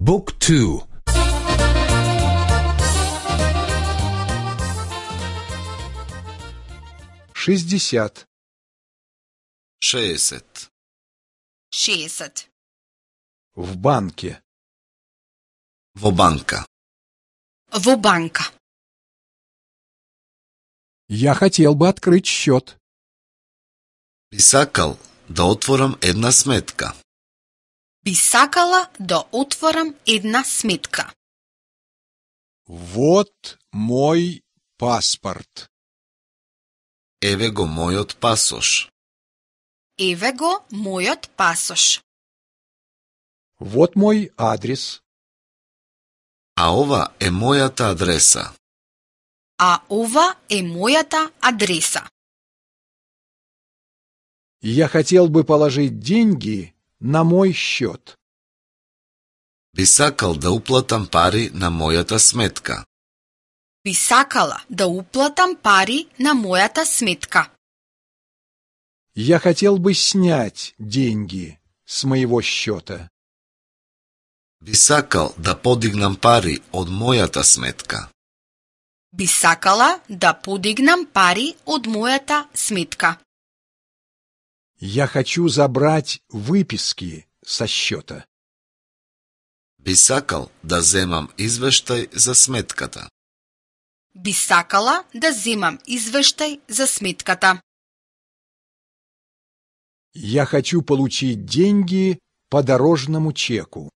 Book 2. 60. 60. 60. В банке. Во банка. Во банка. Я хотел бы открыть счет. Би сакал да отворам една сметка. Би сакала да отворам една сметка. Вот мой паспорт. Еве го мојот пасош. Еве го мојот пасош. Вот мой адрес. А ова е мојата адреса. А ова е мојата адреса. Я хотел бы положить деньги на мой счет. Би сакал да уплатам пари на мојата сметка. Би сакала да уплатам пари на мојата сметка. Я хотел бы снять деньги с моего счета. Би сакал да подигнам пари од мојата сметка. Би сакала да подигнам пари од мојата сметка. Я хочу забрать выписки со счета. Би сакал да земам извештај за сметката. Би сакала да земам извештај за сметката. Я хочу получить деньги по дорожному чеку.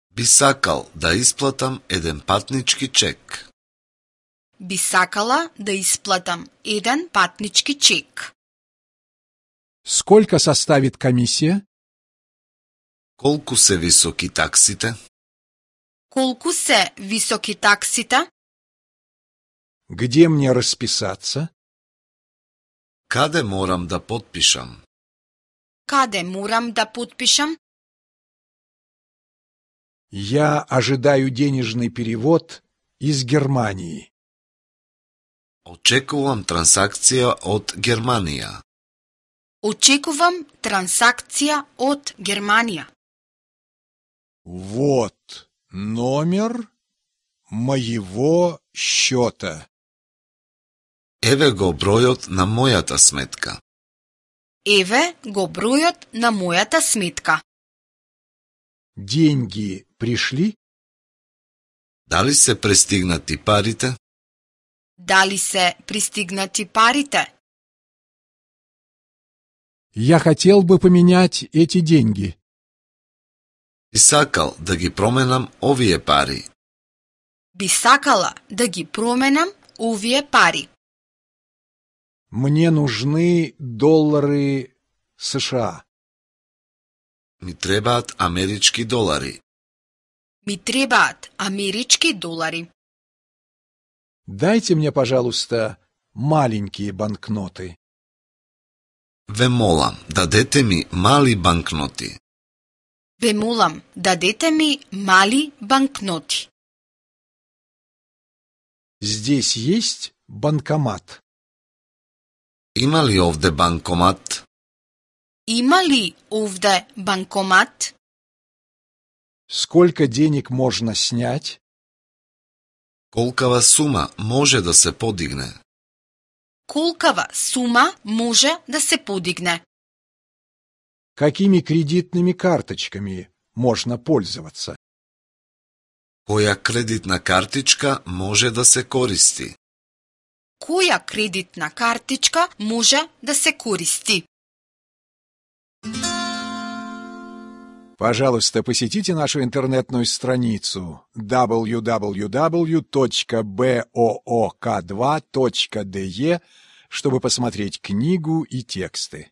Би сакал да исплатам еден патнички чек. Би сакала да исплатам еден патнички чек. Сколько составит комиссия? Колку се високи таксите? Колку се високи таксите? Где мне расписаться? Каде морам да потпишам? Каде морам да потпишам? Я ожидаю денежный перевод из Германии. Очекувам трансакција од Германија. Очекувам трансакција од Германија. Вот номер моего счета. Еве го бројот на мојата сметка. Еве го бројот на мојата сметка. Деньги пришли? Дали се пристигнати парите? Дали се пристигнати парите? Я хотел бы поменять эти деньги. Би сакал да ги променам овие пари. Би сакала да ги променам овие пари. Мне нужны доллары США. Ми требаат амерички долари. Ми требаат амерички долари. Дайте мне, пожалуйста, маленькие банкноты. Ве молам, дадете ми мали банкноти. Ве молам, дадете ми мали банкноти. Здесь есть банкомат? Има ли овде банкомат? Има ли овде банкомат? Сколько денег можно снять? Колкава сума може да се подигне? Колкава сума може да се подигне? Какими кредитными карточками можно пользоваться? Која кредитна картичка може да се користи? Која кредитна картичка може да се користи? Пожалуйста, посетите нашу интернетную страницу www.book2.de, чтобы посмотреть книгу и тексты.